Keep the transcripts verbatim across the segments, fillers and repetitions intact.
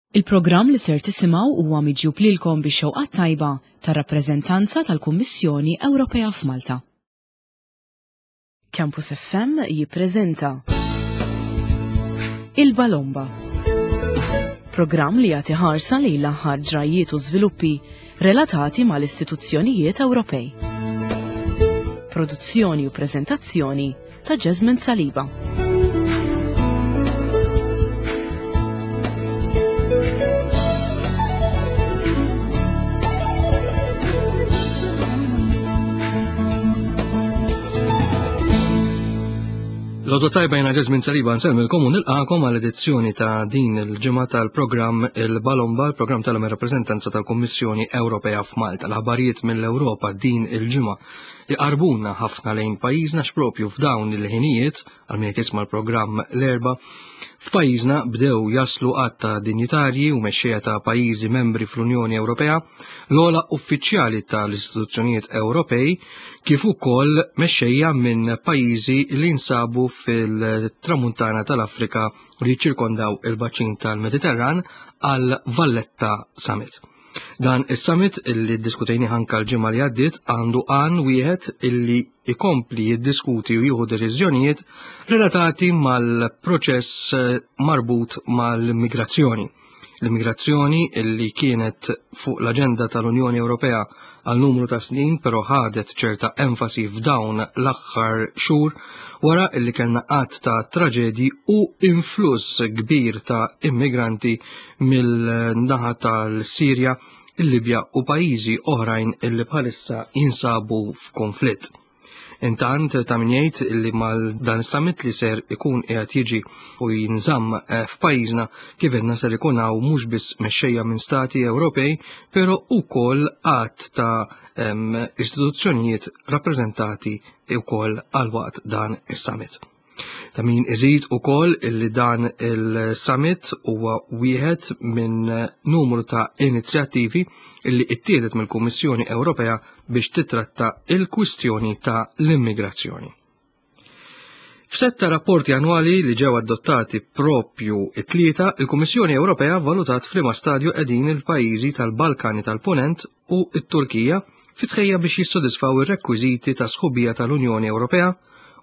Il-programm li ser tisimgħu huwa miġjub lilkom bix-xewqa tajba tar-rappreżentanza tal-Kummissjoni Ewropea f'Malta. Campus F M jippreżenta Il-Balomba. Programm li jagħti ħarsa lejn l-aħħar ġrajiet u żviluppi relatati mal-istituzzjonijiet Ewropej. Produzzjoni u preżentazzjoni ta' Jasmine Saliba. L-għodwa t-tajba, jiena Jasmine Saliba, nsellmilkom u nilqagħkom għal edizzjoni ta' din il-ġimgħa tal-programm Il-Balomba, il-programm tal-rappreżentanza tal-Kummissjoni Ewropea f'Malta. L-aħbarijiet mill-Ewropa din il-ġimgħa iqarbuna ħafna lejn pajjiżna x'propju f'dawn il-ħinijiet, għal min jisma' l-programm l-Erbgħa, f'pajjiżna bdew jaslu għadd ta' dinjitarji u mexxejja ta' pajjiżi membri fl-Unjoni Ewropea, l-ogħla uffiċjali tal-istituzzjonijiet Ewropej, kif ukoll mexxejja minn pajjiżi li nsabu fil-tramuntana tal-Afrika u li jiċċirkondaw il-baċin tal-Mediterran għal Valletta Summit. Dan is-summit, illi diskutejni anka l-ġimgħa li għaddiet, għandu għan wieħed, illi ikompli jiddiskuti u jieħu deċiżjonijiet relatati mal-proċess marbut mal-immigrazzjoni. L-immigrazzjoni illi kienet fuq l-aġenda tal-Unjoni Ewropea għal numru ta' snin, però ħadet ċerta enfasi f'dawn l-aħħar xhur wara illi kellna għadd ta' traġedji u influss kbir ta' immigranti mill-naħa tal-Sirja, il-Libja u pajjiżi oħrajn illi bħalissa jinsabu f'konflitt. Intant, ta' min jgħid illi mal dan is-summit li ser ikun qiegħed jiġi u jinżamm eh, f'pajjiżna, kif għedna, ser ikun hawn mhux biss mexxejja minn stati Ewropej, però ukoll għadd ta' istituzzjonijiet rappreżentati wkoll għal waqt dan is-summit. Ta' min iżid ukoll illi dan il-summit huwa wieħed minn numru ta' inizjattivi illi ittieħdet mill-Kummissjoni Ewropea biex titratta il-kwistjoni ta' l-immigrazzjoni. F'sett ta' rapporti annwali li ġew adottati propju it-Tlieta, il-Kummissjoni Ewropea valutat f'liema stadju qegħdin il-pajjiżi tal-Balkani tal-Ponent u t-Turkija fit-tħejja biex jissodisfaw ir-rekwiżiti ta' sħubija tal-Unjoni Ewropea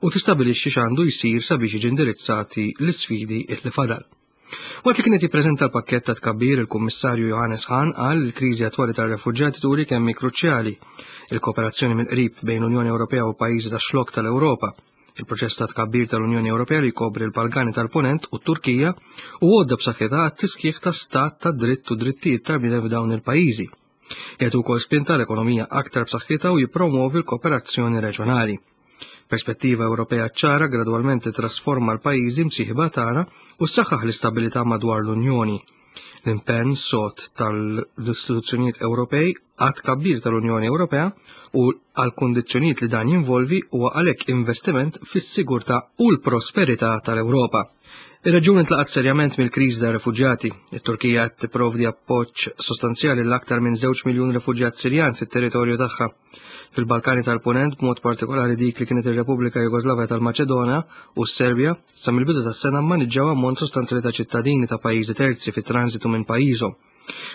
u tistabilixxi x'għandu jsir sabiex jiġi indirizzati l-isfidi li fadal. Waqt li kienet jippreżenta l-pakket ta' tkabbir, il-Kummissarju Johannes Hahn qal il-kriżi attwali tar-refuġjati turi kemm kruċjali il-kooperazzjoni mill-qrib bejn l-Unjoni Ewropea u pajjiżi tax-Xlokk tal-Ewropa. Il-proċess ta' tkabbir tal-Unjoni Ewropea li jkopri l-Balkani tal-Ponent u t-Turkija u għodda b'saħħitha għat-tisħiħ ta' stat ta' dritt u drittijiet tal-bniedem f'dawn il-pajjiżi. Jagħtu wkoll spinta l-ekonomija aktar b'saħħitha u jippromovi l-kooperazzjoni reġjonali. Perspettiva Ewropea ċara gradwalment trasforma l-pajjiżi msieħba tagħna u ssaħħaħ l-istabilità madwar l-Unjoni. L-impenn sod tal-istituzzjonijiet Ewropej għat-tkabbir tal-Unjoni Ewropea u għal kondizzjonijiet li dan jinvolvi huwa għalhekk investiment fis-sigurtà u l-prosperità tal-Ewropa. Ir-reġjun intlaqat serjament mill-kriżi ta' refuġjati. It-Turkija qed tipprovdi appoġġ sostanzjali l-aktar minn żewġ miljun refuġjat Sirjan fit-territorju tagħha. Fil-Balkani tal-Ponent, b'mod partikolari dik li kienet ir-Repubblika Jugoslavja tal-Maċedonja u s-Serbja, sa mill-bidu tas-sena mmaniġġaw ammont sostanzjali ta' ċittadini ta' pajjiżi terzi fit-transitu minn pajjiżhom.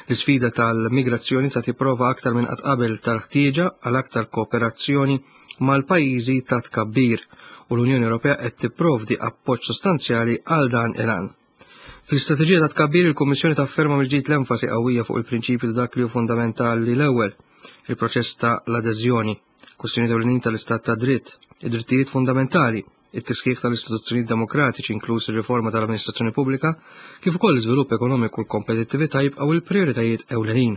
L-isfida tal-migrazzjoni ta' tipprova aktar minn qatt qabel tal-ħtieġa għal aktar kooperazzjoni mal-pajjiżi ta' tkabbir u l-Unjoni Ewropea qed tipprovdi appoġġ sostanzjali għal dan il-għan. Fl-istrateġija ta' tkabbir, il-Kummissjoni tafferma mill-ġdid l-enfasi qawwija fuq il-prinċipju ta' dak li hu fundamentali l-ewwel, il-proċess ta' l-adeżjoni, kwistjoni ewlenin tal-istat ta' dritt, id-drittijiet fundamentali, it-tisħiħ tal-istituzzjonijiet demokratiċi, inkluż ir-riforma tal-amministrazzjoni pubblika, kif ukoll l-iżvilupp ekonomiku u l-kompetittività jibqgħu il-prijoritajiet ewlenin.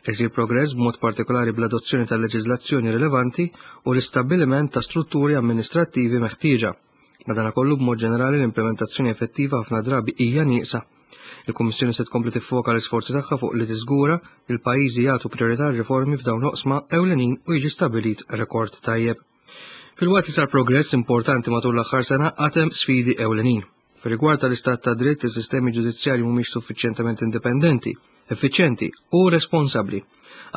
Isir progress b'mod partikolari bl-adozzjoni tal-leġiżlazzjoni rilevanti u l-istabbiliment ta' strutturi amministrattivi meħtieġa. Madanakollu, b'mod ġenerali, l-implementazzjoni effettiva ħafna drabi hija nieqsa. Il-Kummissjoni se tkompli tiffoka l-isforzi tagħha fuq li tiżgura li l-pajjiżi jagħtu priorità riformi f'dawn l-oqsma ewlenin u jiġi stabbilit rekord tajjeb. Filwaqt li sar progress importanti matul l-aħħar sena, għad hemm sfidi ewlenin. Fir-rigward tal-istat ta' dritt, is-sistemi ġudizzjarji mhumiex suffiċjentement indipendenti, effiċjenti u responsabbli.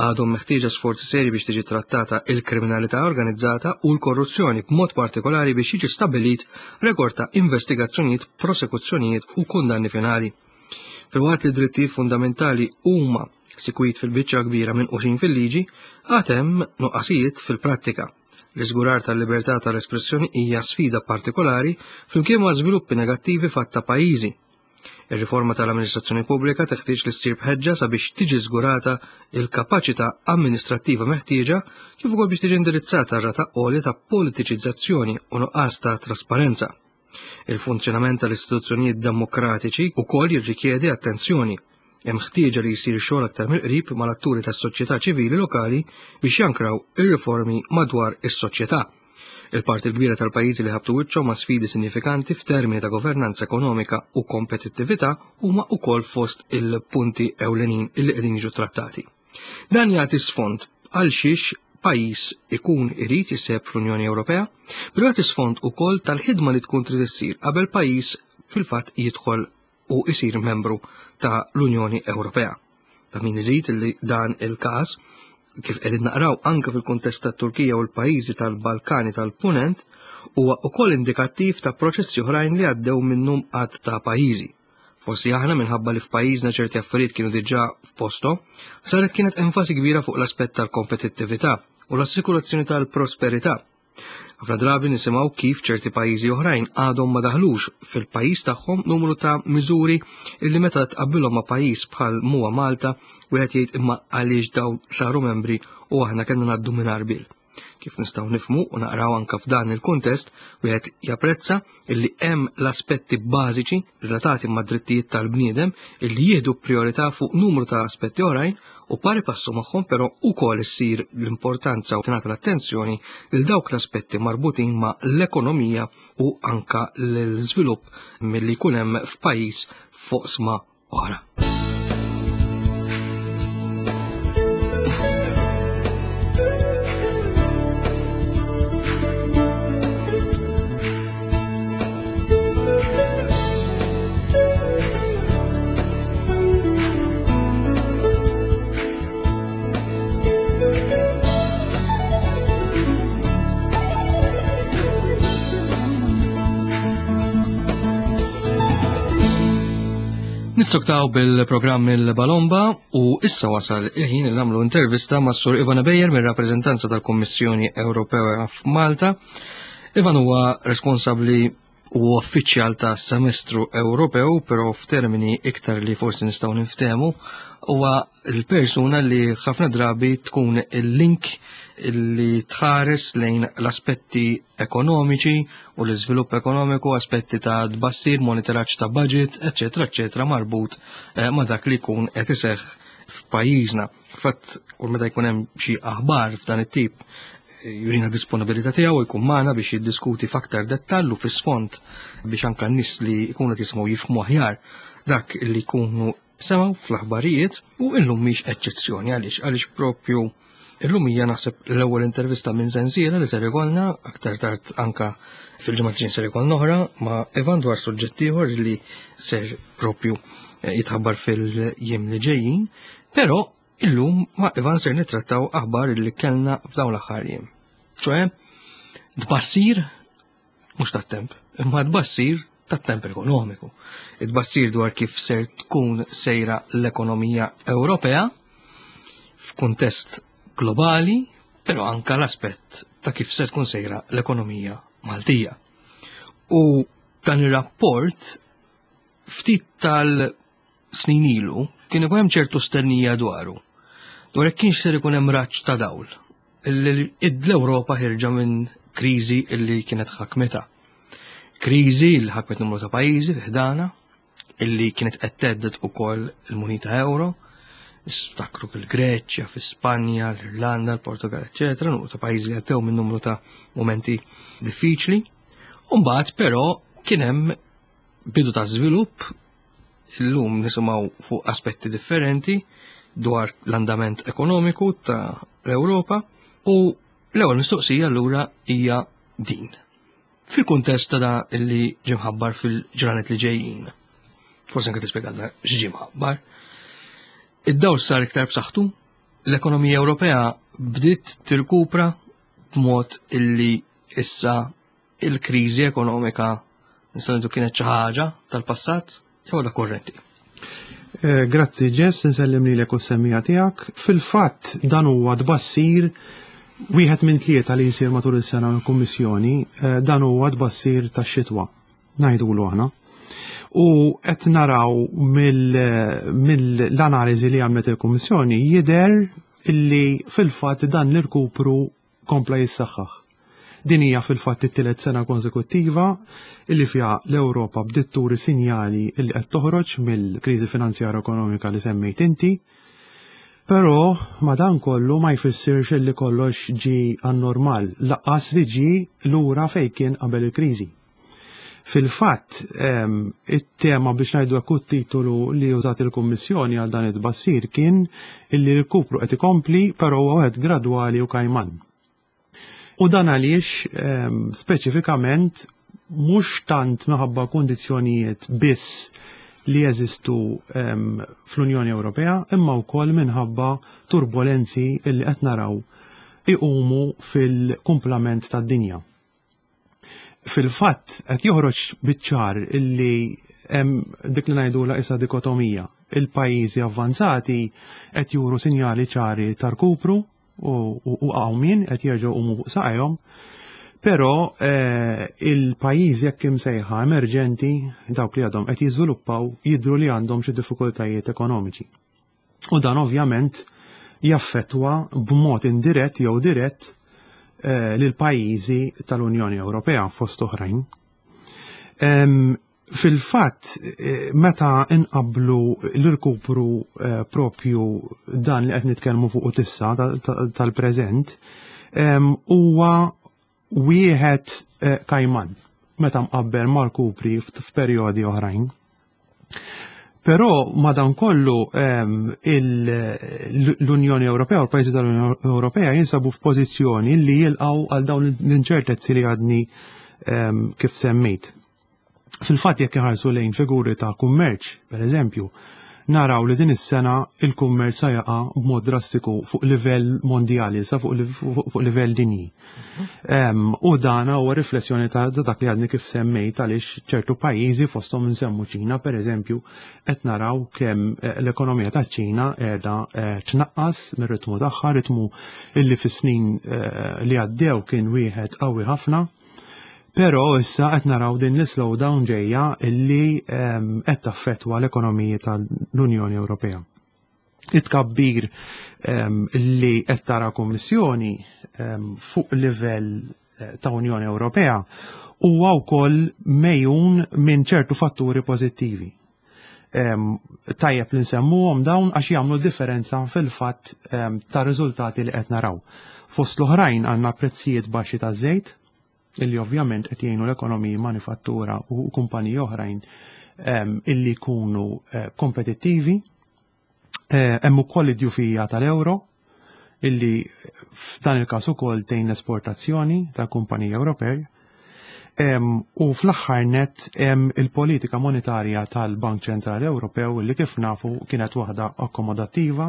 Għadhom meħtieġa sforzi seri biex tiġi trattata il-kriminalità organizzata u l-korruzzjoni, b'mod partikolari biex jiġi stabbilit rekord ta' investigazzjonijiet, prosekuzzjonijiet u kundanni finali. Filwaqt li drittijiet fundamentali huma sikwit fil-biċċa kbira minquxin fil-liġi, għad hemm nuqqasijiet fil-prattika. L-iżgurar tal-libertà tal-espressjoni hija sfida partikolari flimkien ma' żviluppi negattivi f'għadd ta' pajjiżi. Ir-riforma tal-amministrazzjoni pubblika teħtieġ li ssir b'ħeġġa sabiex tiġi żgurata il-kapaċità amministrattiva meħtieġa kif ukoll biex tiġi indirizzata r-rata għolja ta' politiċizzazzjoni u nuqqas ta' trasparenza. Il-funzjonament tal-istituzzjonijiet demokratiċi wkoll jirrikjedi attenzjoni. Hemm ħtieġa li jsir xogħol aktar mill-qrib mal-atturi tas-soċjetà ċivili lokali biex jankraw ir-riformi madwar is-soċjetà. Il-parti l-kbira tal-pajjiżi li ħabtu wiċċhom ma' sfidi sinifikanti f'termini ta' governanza ekonomika u kompetittività huma wkoll fost il-punti ewlenin illi qegħdin jiġu trattati. Dan jagħti sfond għal xiex pajjiż ikun irid jiseb fl-Unjoni Ewropea, però jagħti sfond ukoll tal-ħidma li tkun trid issir qabel pajjiż fil-fatt jidħol u isir membru ta' l-Unjoni Ewropea. Ta' min iżid li dan il-każ kif qegħdin naqraw anke fil-kuntest tat-Turkija u l-pajjiżi tal-Balkani tal-Punent huwa wkoll indikattiv ta' proċessi oħrajn li għaddew minnhom għadd ta' pajjiżi. Forsi aħna minħabba li f'pajjiżna ċerti affarijiet kienu diġà f'posthom, saret kienet enfasi kbira fuq l-aspett tal-kompetittività u l-assikurazzjoni tal-prosperità. Ħafna drabi nisimgħu kif ċerti pajjiżi oħrajn għadhom ma daħlux fil-pajjiż tagħhom numru ta' miżuri illi meta tqabbilhom ma' pajjiż bħal huwa Malta wieħed jgħid imma għaliex dawn saru membri u aħna kellna ngħaddu mingħajr bil. Kif nistgħu nifhmu u naqraw anke f'dan il-kuntest, wieħed japprezza illi hemm l-aspetti bażiċi relatati mad drittijiet tal-bniedem illi jieħdu priorità fuq numru ta' aspetti oħrajn u pari passu magħhom però ukoll issir l-importanza u tingħata l-attenzjoni lil dawk l-aspetti marbutin ma' l-ekonomija u anka l-żvilupp milli jkun hemm f'pajjiż f'oqsma oħra. Nissoktaw bil-programm il-Balomba u issa wasal il-ħin li nagħmlu intervista mas Sur Ivan Ebejer mir-rappreżentanza tal-Kummissjoni Ewropea f'Malta. Ivan huwa responsabbli u uffiċjal ta' semestru Ewropew, però f'termini iktar li forsi nistgħu niftehmu, huwa l-persuna li ħafna drabi tkun il-link li tħares lejn l-aspetti ekonomiċi u l-iżvilupp ekonomiku, aspetti ta' tbassir, monitoraġġ ta' budget, eċetera, eċetera, marbut eh, ma' dak li jkun qed iseħħ f'pajjiżna. Fatt, kull meta jkun hemm xi aħbar f'dan it-tip, jurina disponibilità tiegħu jkun magħna biex jiddiskuti f'aktar dettall u fis-sfond biex anke n-nies li jkunu qed jisimgħu jifhmu aħjar dak li jkunu semgħu fl-aħbarijiet u illum mhix eċċezzjoni għaliex għaliex propju illum hija naħseb l-ewwel intervista minn sensiela li ser ikollna aktar tard anka fil-ġimgħa ġejjin ser ikollna oħra ma' Ivan dwar suġġett ieħor li ser propju jitħabbar fil-jiem li ġejjin, però illum ma' Ivan ser nittrattaw aħbar li kellna f'dawn l-aħħar jiem. Ċoe, tbassir mhux tat-temp, imma tbassir tat-temp ekonomiku. Tbassir dwar kif ser tkun sejra l-ekonomija Ewropea f'kuntest globali, però anka l-aspett ta' kif ser tkun sejra l-ekonomija Maltija. U dan ir-rapport ftit tal-snin ilu kien ikun hemm ċertu stennija dwaru. Dwar jekk kienx ser ikun hemm raġġ ta' dawl l-Ewropa ħirġa minn kriżi illi kienet ħakmetha. Kriżi li ħakmet numru ta' pajjiżi ħdana illi kienet qed thedded ukoll il-munita euro, niftakru fil-Greċja, fi-Spanja, l-Irlanda, l-Portugal, eċetera, numru ta' pajjiżi li għaddew minn numru ta' momenti diffiċli. U mbagħad però kien hemm bidu ta' żvilupp, illum nisimgħu fuq aspetti differenti dwar l-andament ekonomiku ta' l-Ewropa. U l-ewwel mistoqsija allura hija din. Fil-kuntest ta' da li ġie mħabbar fil-ġranet li ġejjin, forsi anke tispjegalna x'ġie mħabbar, id-dawl sar iktar b'saħħtu, l-ekonomija Ewropea bdiet tirkupra b'mod illi issa il-kriżi ekonomika nistgħu ngħidu kienet xi ħaġa tal-passat jew għadha kurrenti. Eh, grazzi Jess, nsellim lilek u s-semmiegħa tiegħek. Fil-fatt dan huwa tbassir wieħed minn tlieta li jsir matul is-sena mill-Kummissjoni, eh, dan huwa tbassir tax-xitwa, ngħidulu aħna. U qed naraw mill-analiżi li għamlet il-Kummissjoni jidher illi fil-fatt dan l-irkupru kompla jissaħħaħ. Din hija fil-fatt it-tielet sena konsekuttiva illi fiha l-Ewropa bdiet turi sinjali illi qed toħroġ mill-kriżi finanzjarja ekonomika li semmejt inti. Però madankollu ma jfissirx illi kollox ġi għan-normal, lanqas li ġi lura fejn kien qabel il-kriżi. Fil-fatt, it-tema biex ngħidu hekk titolu li użat il-Kummissjoni għal dan it-tbassir kien illi l-kupru qed ikompli però huwa wieħed gradwali u kajman. U dan għaliex speċifikament mhux tant minħabba kundizzjonijiet biss li jeżistu fl-Unjoni Ewropea, imma wkoll minħabba turbolenzi li qed naraw iqumu fil-kumplament tad-dinja. Fil-fatt qed joħroġ biċ-ċar illi hemm dik li ngħidula issa dikotomija. Il-pajjiżi avvanzati qed juru sinjali ċari ta' rkupru u qawmien qed jerġgħu jqumu fuq saqajhom, però eh, il-pajjiżi jekk imsejħa emerġenti, dawk li għadhom qed jiżviluppaw, jidhru li għandhom xi diffikultajiet ekonomiċi. U dan ovvjament jaffettwa b'mod indirett jew dirett eh, lil pajjiżi tal-Unjoni Ewropea fost oħrajn. Fil-fatt, eh, meta inqablu l-irkupru eh, propju dan li qed nitkellmu fuq tissa tal-preżent, huwa wieħed eh, kajman meta mqabbel mal-kupri f'perjodi oħrajn. Però madankollu l-Unjoni Ewropea u l-pajjiżi tal-Unjoni Ewropea jinsabu f'pożizzjoni li jilqgħu għal dawn l-inċertezzi li għadni kif semmejt. Fil-fatt jekk iħarsu lejn figuri ta' kummerċ, per eżempju, naraw li din is-sena il-kummerċ sa jaqa' b'mod drastiku fuq livell mondjali, sa fuq, fuq livell dinji. Um, u dan huwa riflessjoni ta' dak li għadni kif semmejt għaliex ċertu pajjiżi fosthom nsemmu Ċina, per eżempju, qed naraw kemm eh, l-ekonomija ta' Ċina qiegħda eh, tnaqqas mir-ritmu tagħha, ritmu illi fis-snin eh, li għaddew kien wieħed qawwi ħafna. Però issa qed naraw din l-slowdown ġejja illi qed taffettwa l-ekonomiji tal-Unjoni Ewropea. It-tkabbir li qed tara Kummissjoni fuq livell eh, ta' Unjoni Ewropea huwa wkoll mejjun minn ċertu fatturi pożittivi. Tajjeb li nsemmuhom dawn għax jagħmlu differenza fil-fatt ta' riżultati li qed naraw. Fost l-oħrajn għandna prezzijiet baxxi ta' żejt, illi ovvjament qed jgħinu l-ekonomiji manifattura u kumpaniji oħrajn illi jkunu eh, kompetittivi. Eh, hemm ukoll id-djufija tal-euro illi f'dan il-każ ukoll tgħin l-esportazzjoni tal-kumpaniji Ewropej. U fl-aħħar net hemm il-politika monetarja tal-Bank Ċentrali Ewropew illi kif nafu kienet waħda akkomodattiva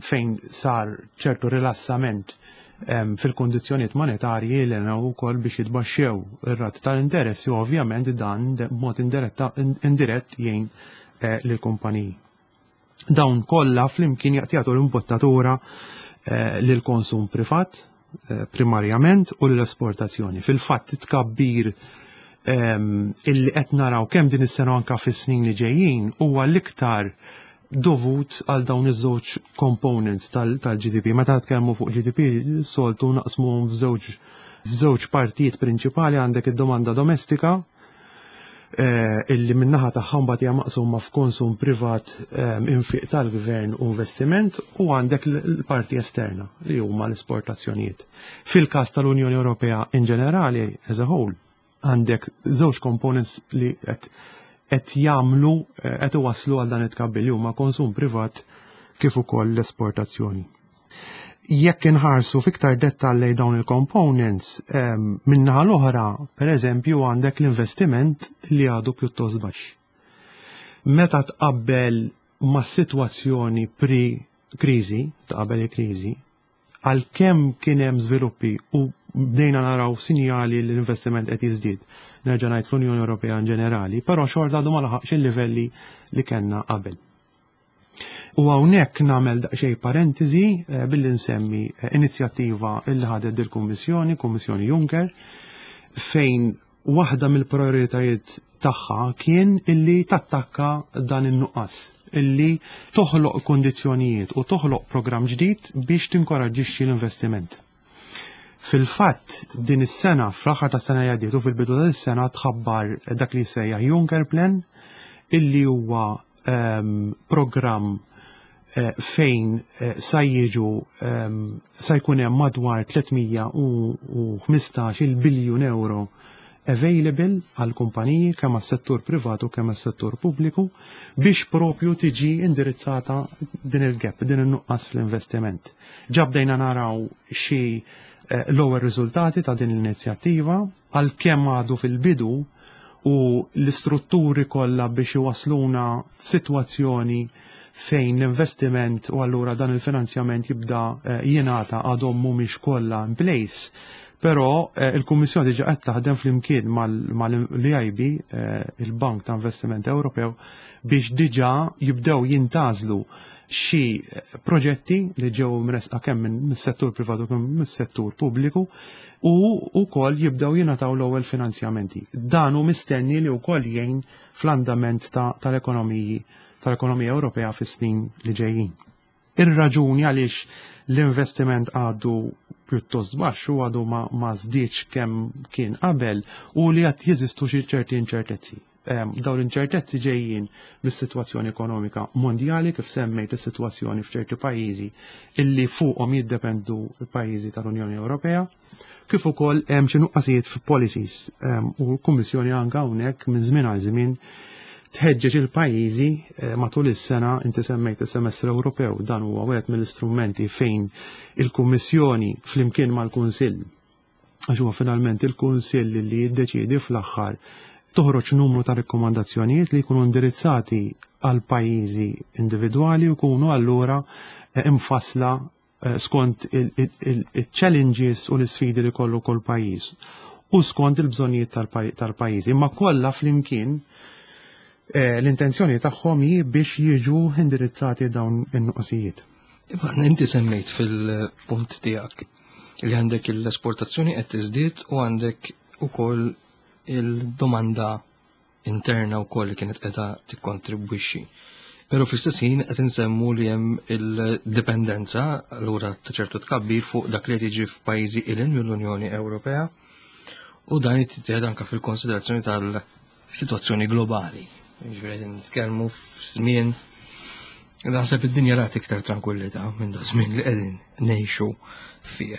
fejn sar ċertu rilassament fil-kondizzjonijiet monetarji li għenu wkoll biex jitbaxxew ir-rati tal-interessi u ovvjament dan b'mod indirett jgħin eh, lill-kumpaniji. Dawn kollha flimkien jagħtu l-imbottatura eh, lil konsum privat eh, primarjament u l-esportazzjoni. Fil-fatt tkabbir illi qed naraw kemm din is-sena anka fis-snin li ġejjin huwa l-iktar dovut għal dawn iż-żewġ components tal-G D P. Meta tkellmu fuq G D P, soltu naqsmu f'żewġ f'żewġ partijiet prinċipali: għandek id-domanda domestika eh, illi min-naħa tagħha mbagħad hija maqsuma f'konsum privat, eh, infiq tal-gvern u investiment, u għandek l-parti esterna li huma l-esportazzjonijiet. Fil-każ tal-Unjoni Ewropea in ġenerali as a whole għandek żewġ components li qed qed jagħmlu eh, qed iwasslu għal dan it-tkabbir li huma konsum privat kif ukoll l-esportazzjoni. Jekk inħarsu fiktar dettall lejn dawn il-components, min-naħa l-oħra, per eżempju, għandek l-investiment li għadu pjuttost baxx. Meta tqabbel ma' situazzjoni pre-kriżi, ta' qabel il-kriżi, għalkemm kien hemm żviluppi u bdejna naraw sinjali li l-investiment qed jiżdied. nerġa' ngħid, fl-Unjoni Ewropea in ġenerali, però xorta għadu ma laħaqx il-livelli li kellna qabel. U hawnhekk nagħmel daqsxejn parentesi eh, billi nsemmi eh, inizjattiva illi ħadet il-Kummissjoni, Kummissjoni Juncker, fejn waħda mill-prioritajiet tagħha kien illi tattakka dan in-nuqqas, illi toħloq kondizzjonijiet u toħloq programm ġdid biex tinkoraġġixxi l-investiment. Fil-fatt, din is-sena, fl-aħħar tas-sena li għaddiet u fil-bidu ta' is-sena, tħabbar dak li jsejjaħ Juncker Plan, illi huwa um, programm eh, fejn eh, sa jiġu um, sa jkun hemm madwar tliet mija u ħmistax il biljun euro available għal kumpaniji, kemm għas-settur privatu kemm għas-settur pubbliku, biex propju tiġi indirizzata din il-gap, din il-nuqqas fl-investiment. Ġa bdejna naraw xi eh, l-ewwel riżultati ta' din l-inizjattiva, għalkemm għadu fil-bidu u l-istrutturi kollha biex iwasluna f'sitwazzjoni fejn l-investiment u allura dan il-finanzjament jibda eh, jingħata għadhom mhumiex kollha in place. Però eh, il-Kummissjoni diġà qed taħdem flimkien mal-E I B, eh, il-Bank ta' Investiment Ewropew, biex diġà jibdew jintgħażlu xi proġetti li ġew mresqa kemm mis-settur privatu kemm mis-settur pubbliku u wkoll jibdew jingħataw l-ewwel finanzjamenti. Dan hu mistenni li wkoll jgħin fl-andament tal-ekonomiji tal-ekonomija Ewropea fis-snin li ġejjin. Ir-raġuni għaliex l-investiment għadu pjuttost baxx u għadu ma, ma żdiedx kemm kien qabel u li għad jeżistu xi ċerti inċertezzi. Dawn l-inċertezzi ġejjin mis-sitwazzjoni ekonomika mondjali, kif semmejt is-sitwazzjoni f'ċerti pajjiżi illi fuqhom jiddependu l-pajjiżi tal-Unjoni Ewropea, kif ukoll hemm xi nuqqasijiet f'policies u l-Kummissjoni anke hawnhekk minn żmien għal żmien tħeġġeġ il-pajjiżi eh, matul is-sena. Inti semmejt is-semestru Ewropew, dan huwa wieħed mill-istrumenti fejn il-Kummissjoni flimkien mal-Kunsill, għax huwa finalment il-Kunsill li jiddeċiedi fl-aħħar, toħroġ numru ta' rikkomandazzjonijiet li jkunu indirizzati għal pajjiżi individwali u jkunu allura eh, imfasla eh, skont il-challenges u l-isfidi li kollu kull pajjiż u skont il-bżonnijiet tal-pajjiżi. Imma kollha flimkien Eh, l-intenzjoni tagħhom hi biex jiġu indirizzati dawn in-nuqqasijiet. Ivan, inti semmejt fil-punt tiegħek li għandek l-esportazzjoni qed tiżdied u għandek ukoll il-domanda interna wkoll li kienet qiegħda tikkontribwixxi. Però fl-istess ħin qed insemmu li hemm il-dipendenza allura ta' ċertu tkabbir fuq dak li qed jiġi f'pajjiżi ilin mill-Unjoni Ewropea u dan jittieħed anke fil-konsiderazzjoni tal-sitwazzjoni globali. Ġifieri qed nitkellmu f'żmien naħseb id-dinja rat iktar tranquillità minn da żmien li qegħdin ngħixu fih.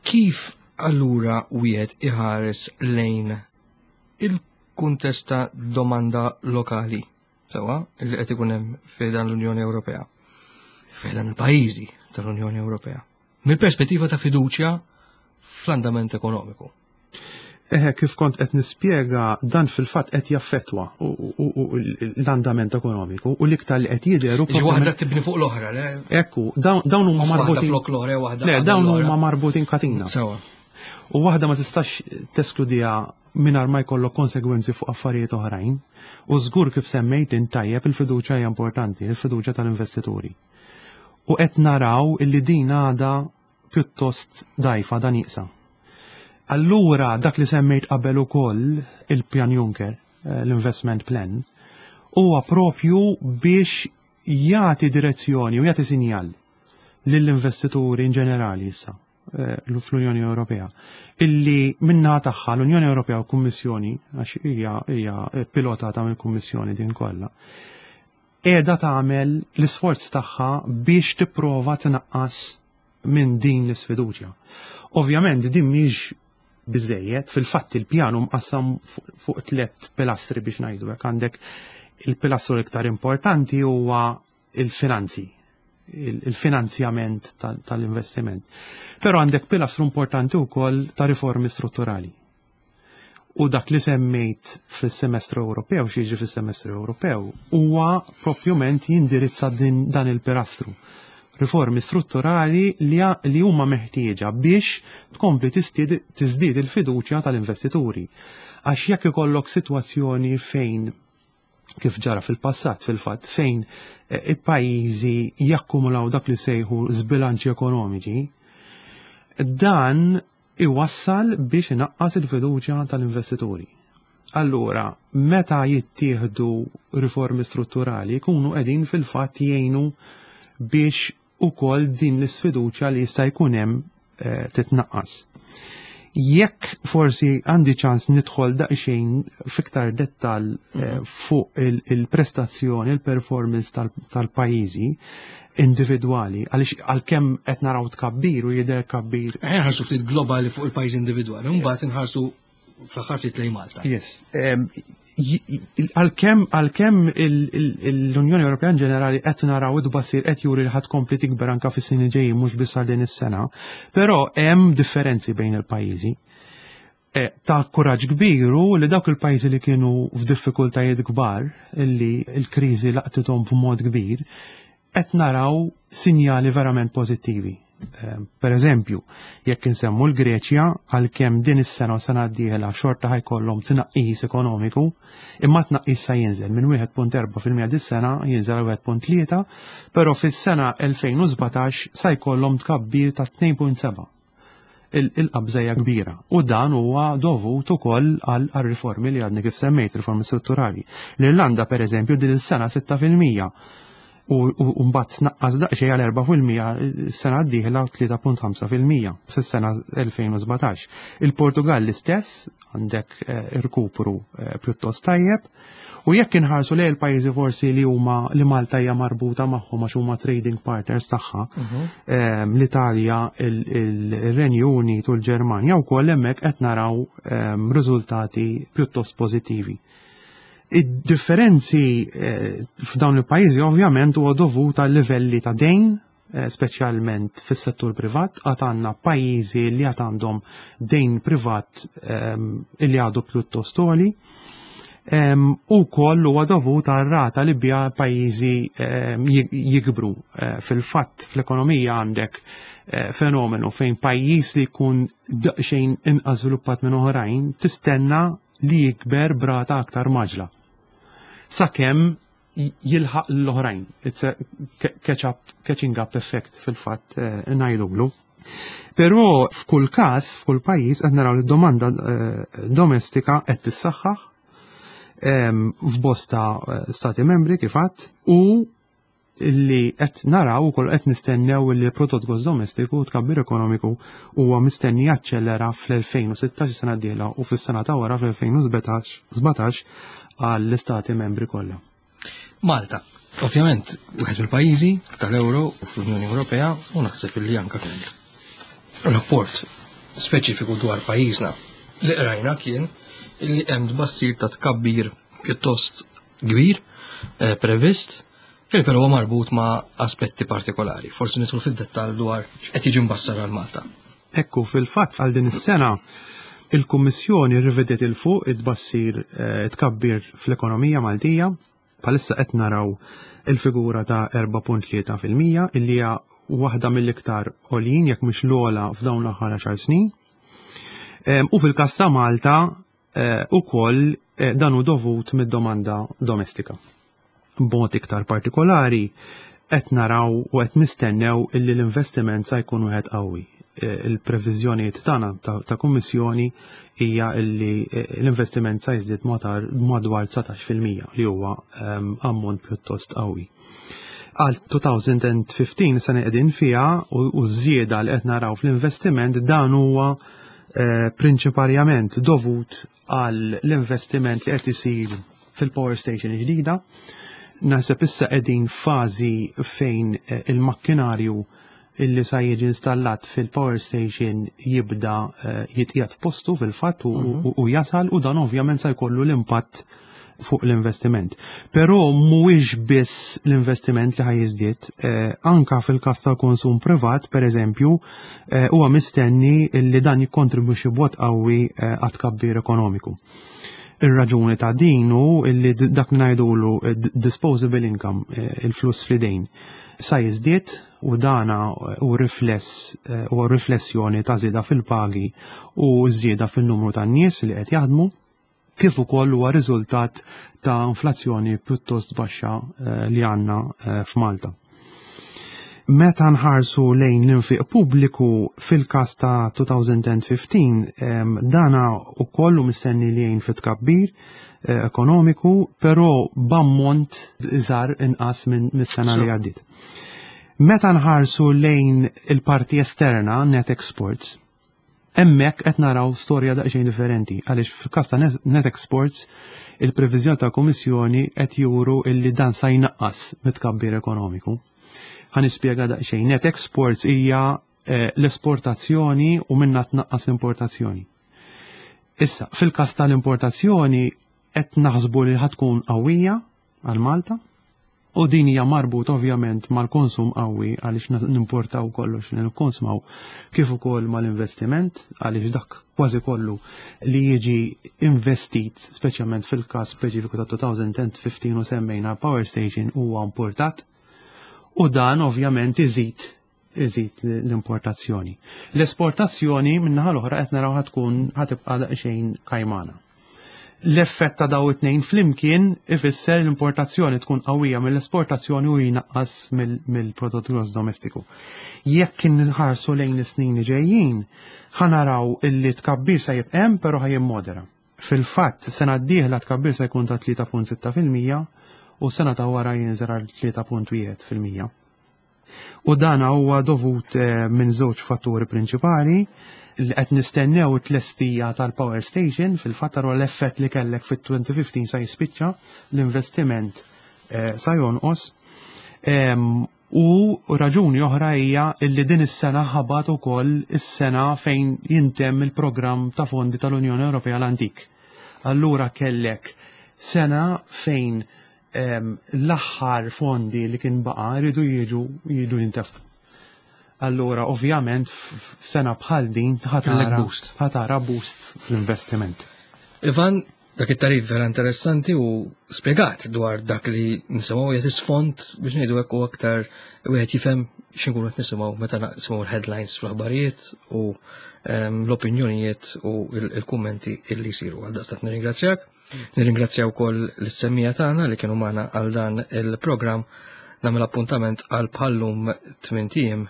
Kif allura wieħed iħares lejn il-kuntest ta' domanda lokali sewwa li qed ikun hemm fi dan l-Unjoni Ewropea, fi dan il-pajjiżi tal-Unjoni Ewropea, mill-perspettiva ta' fiduċja fl-andament ekonomiku? Eħe, kif kont qed nispjega, dan fil-fatt qed jaffettwa l-andament ekonomiku u l-iktar li qed jidher Ġi waħda tibni fuq l-oħra, le? Ekku, dawn huma marbutin. Flok l-oħra, waħda. Le, dawn huma marbutin katina. Sewa. U waħda ma tistax teskludija mingħajr ma jkollok konsegwenzi fuq affarijiet oħrajn. U żgur, kif semmejt tajjeb, il-fiduċja hija importanti, il-fiduċja tal-investituri. U qed naraw illi din għada pjuttost dajfa dan nieqsa. Allura dak li semmejt qabel ukoll, il-Pjan Juncker, eh, l-Investment Plan, huwa propju biex jagħti direzzjoni u jagħti sinjal lill-investituri in ġenerali issa eh, fl-Unjoni Ewropea illi minna tagħha l-Unjoni Ewropea u Kummissjoni, għax hija hija pilotata mill-Kummissjoni din kollha, qiegħda tagħmel l-isforz tagħha biex tipprova tnaqqas minn din l-isfiduċja. Ovvjament din mhix biżejjed, fil-fatt il-pjanu mqassam fuq tliet pilastri, biex ngħidu hekk. Għandek il-pilastru l-iktar importanti huwa il-finanzi, il-finanzjament tal-investiment. Però għandek pilastru importanti wkoll ta' riformi strutturali. U dak li semmejt fis-semestru Ewropew, xi fis-semestru Ewropew, huwa propjament jindirizza dan il-pilastru. Riformi strutturali li, li huma meħtieġa biex tkompli tiżdied il-fiduċja tal-investituri. Għax jekk ikollok sitwazzjoni fejn, kif ġara fil-passat fil-fatt, fejn eh, il-pajjiżi jakkumulaw dak li sejħu żbilanċi ekonomiċi, dan iwassal biex inaqqas il-fiduċja tal-investituri. Allura, meta jittieħdu riformi strutturali, jkunu qegħdin fil-fatt jgħinu biex ukoll din l-isfiduċja li jista' jkun hemm eh, titnaqqas. Jekk forsi għandi ċans nidħol daqsxejn fiktar dettal eh, fuq il-prestazzjoni, il-performance tal-pajjiżi individwali, għaliex għalkemm qed naraw tkabbir u jidher tkabbir. Nħarsu ftit globali fuq il-pajjiż individwali, mbagħad inħarsu fl-aħħar ftit lejn Malta. Yes. Għalkemm għalkemm l-Unjoni Ewropea in ġenerali qed naraw id-tbassir qed juri li ħa tkompli tikber anke fis-snin ġejjin, mhux biss għal din is-sena, però hemm differenzi bejn il-pajjiżi. E, ta' kuraġġ kbiru li dawk il-pajjiżi li kienu f'diffikultajiet kbar, illi l-kriżi laqtithom b'mod kbir, qed naraw sinjali verament pożittivi. Per eżempju, jekk insemmu l-Greċja, għalkemm din is-sena u sena d-dieħla xorta ħa jkollhom tnaqqis ekonomiku, imma tnaqqis sa jinżel minn wieħed punt erbgħa fil-mija dis-sena jinżel għal wieħed punt tlieta, però fis-sena elfejn u sbatax sa jkollhom tkabbir ta' tnejn punt sebgħa. Il-qabża hija kbira u dan huwa dovut ukoll għal riformi li għadni kif semmejt, riformi strutturali. L-Irlanda, per eżempju, din is-sena sitta fil-mija u mbagħad naqqas daqsxejn għal erbgħa fil-mija sena d-dieħla u tlieta punt ħamsa fil-mija fis-sena elfejn u sbatax. Il-Portugal l-istess, għandek eh, irkupru eh, pjuttost tajjeb. U jekk inħarsu lejn il-pajjiżi forsi li huma li Malta hija marbuta magħhom għax huma trading partners tagħha, mhm. ehm, l-Italja, il-Renju Unit u l-Ġermanja, wkoll hemmhekk qed naraw ehm, riżultati pjuttost pożittivi. Id-differenzi eh, f'dawn il-pajjiżi ovvjament huwa dovut għal livelli ta' dejn, eh, speċjalment fis-settur privat. Għad għandna pajjiżi li għad għandhom dejn privat ehm, li għadu pjuttost għoli. Ehm, u koll huwa dovut għal rata li bija pajjiżi ehm, jikbru. Eh, fil-fatt fl-ekonomija għandek fenomenu fejn pajjiż li jkun daqsxejn inqas żviluppat minn oħrajn tistenna li jikber b'rata aktar mgħaġġla sakemm jilħaq l-oħrajn. It's a catch up, catching up effect fil-fatt eh, ngħidulu. Però f'kull każ, f'kull pajjiż qed naraw li domanda eh, domestika qed tissaħħaħ f'bosta eh, stati membri kif għadt, u li qed naraw ukoll, qed nistennew li l-prodott gross domestiku, tkabbir ekonomiku, huwa mistenni jaċċellera fl-elfejn u sittax, sena d-dieħla, u fis-sena ta' wara fl-elfejn u sbatax għall-istati membri kollha. Malta, ovvjament, wieħed mill-pajjiżi tal-Euro u fl-Unjoni Ewropea, u naħseb li anka rapport speċifiku dwar pajjiżna li qrajna kien li hemm tbassir ta' tkabbir pjuttost kbir eh, previst, il però marbut ma' aspetti partikolari. Forsi nidħlu fid-dettall dwar x'qed jiġi mbassar għal Malta. Ekku, fil-fatt għal din is-sena il-Kummissjoni rivedet 'il fuq it-tbassir eh, tkabbir fl-ekonomija Maltija. Bħalissa qed naraw il-figura ta' erbgħa punt tlieta fil-mija, illi hija waħda mill-iktar għoljin, jekk mhux l-ogħla, f'dawn l-aħħar għaxar snin. U fil-każ ta' Malta eh, ukoll eh, dan hu dovut mid-domanda domestika. B'mod iktar partikolari qed naraw u qed nistennew illi l-investiment sa jkun wieħed qawwi. Eh, il-previżjonijiet tagħna ta' kummissjoni hija illi eh, l-investiment sa jiżdied madwar dsatax fil-mija, li huwa ehm, ammont pjuttost qawwi. Għal elfejn u ħmistax, sena qegħdin fiha, u żieda li qed naraw fl-investiment, dan huwa eh, prinċipalment dovut għal l-investiment li qed isir fil-power station ġdida. Naħseb issa qegħdin fażi fejn il-makkinarju illi sa jiġi installat fil-power station jibda eh, jitqiegħed f'postu fil-fatt u mhm. jasal, u dan ovvjament sa jkollu l-impatt fuq l-investiment. Però mhuwiex biss l-investiment li ħa jiżdied, eh, anka fil-każ tal-konsum privat, per eżempju, eh, huwa mistenni li dan jikkontribwixxi b'mod qawwi għat tkabbir ekonomiku. Ir-raġuni ta' din hu illi dak ngħidulu disposable income, il-flus fl-idejn sa jiżdied u dana u rifless u riflessjoni ta' żieda fil-pagi u żieda fin-numru tan-nies li qed jaħdmu, kif ukoll huwa riżultat ta' inflazzjoni pjuttost baxxa li għandna f'Malta. Meta nħarsu lejn l-infiq pubbliku fil-każ ta' elfejn u ħmistax, dana ukoll mistenni li jgħin fit-tkabbir ekonomiku, però b'ammont iżgħar, inqas minn mis-sena li għaddiet. Meta nħarsu lejn il-parti esterna, net exports, hemmhekk qed naraw storja daqsxejn differenti, għaliex fil-każ ta' net exports il-previżjoni ta' Kummissjoni qed juru illi dan sa jnaqqas mit-tkabbir ekonomiku. Ħa nispjega daqsxejn. Net exports hija eh, l-esportazzjoni u minna tnaqqas l-importazzjoni. Issa, fil-każ tal-importazzjoni qed naħsbu li ħa tkun qawwija għal Malta u din hija marbut ovvjament mal-konsum qawwi, għaliex nimportaw kollox li nikkonsmaw, kif ukoll mal-investiment, għaliex dak kważi kollu li jiġi investit, speċjalment fil-każ speċifiku ta' elfejn u ħmistax u semmejna power station, huwa importat u dan ovvjament iżid iżid l-importazzjoni. L-esportazzjoni min-naħa l-oħra qed naraw ħa tkun ħa tibqa' daqsxejn kajmana. L-effett ta' daw it-tnejn flimkien ifisser l-importazzjoni tkun qawwija mill-esportazzjoni u jnaqqas mill-prodott gross domestiku. Jekk inħarsu lejn is-snin li ġejjin, ħa naraw illi tkabbir sa jibqa' hemm, però ħa jimmodera. Fil-fatt, sena d-dieħla tkabbir se jkun ta' tlieta punt sitta fil-mija u sena ta' wara jinżel għal tlieta punt wieħed fil-mija. U dan huwa dovut eh, minn żewġ fatturi prinċipali, li qed nistennew it-tlestija tal-power station. Fil-fatt l-effett li kellek fit-elfejn u ħmistax sa jispiċċa, l-investiment eh, sa jonqos. U raġuni oħra hija illi din is-sena ħabat ukoll is-sena fejn jintemm il-programm ta' fondi tal-Unjoni Ewropea l-antik. Allura kellek sena fejn l-aħħar fondi li kien baqa rridu jiġu jiġu jintefqu. Allura, ovvjament, f'sena bħal din ħa tara boost fl-investiment. Ivan, dak it-tarif vera interessanti u spiegat dwar dak li nisimgħu, jagħti sfond biex ngħidu hekk u aktar wieħed jifhem x'inkunu qed nisimgħu meta nisimgħu l-headlines fl-aħbarijiet u ehm, l-opinjonijiet u il-kummenti illi jsiru. Għal daqstant nirringrazzjak. Nirringrazzja wkoll l-semmiegħa tagħna li kienu magħna għal dan il-programm. Nagħmel appuntament għal bħal-lum tmint ijiem,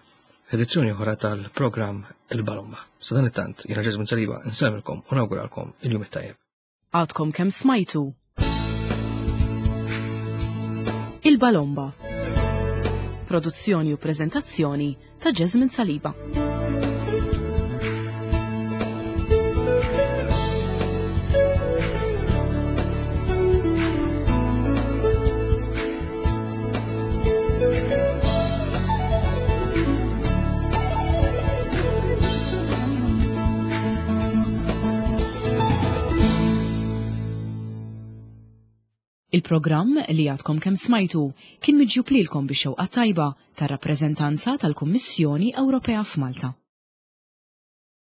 edizzjoni oħra tal-programm Il-Balomba. Sa dan it-tant, jiena Ġeżmin Saliba, nsellmilkom u nawguralkom il-jum it-tajjeb. Għadkom kemm smajtu Il-Balomba. Produzzjoni u prezentazzjoni ta' Jasmine Saliba. Il-programm li għadkom kemm smajtu kien miġjub lilkom bix-xewqa tajba tar-rappreżentanza tal-Kummissjoni Ewropea f'Malta.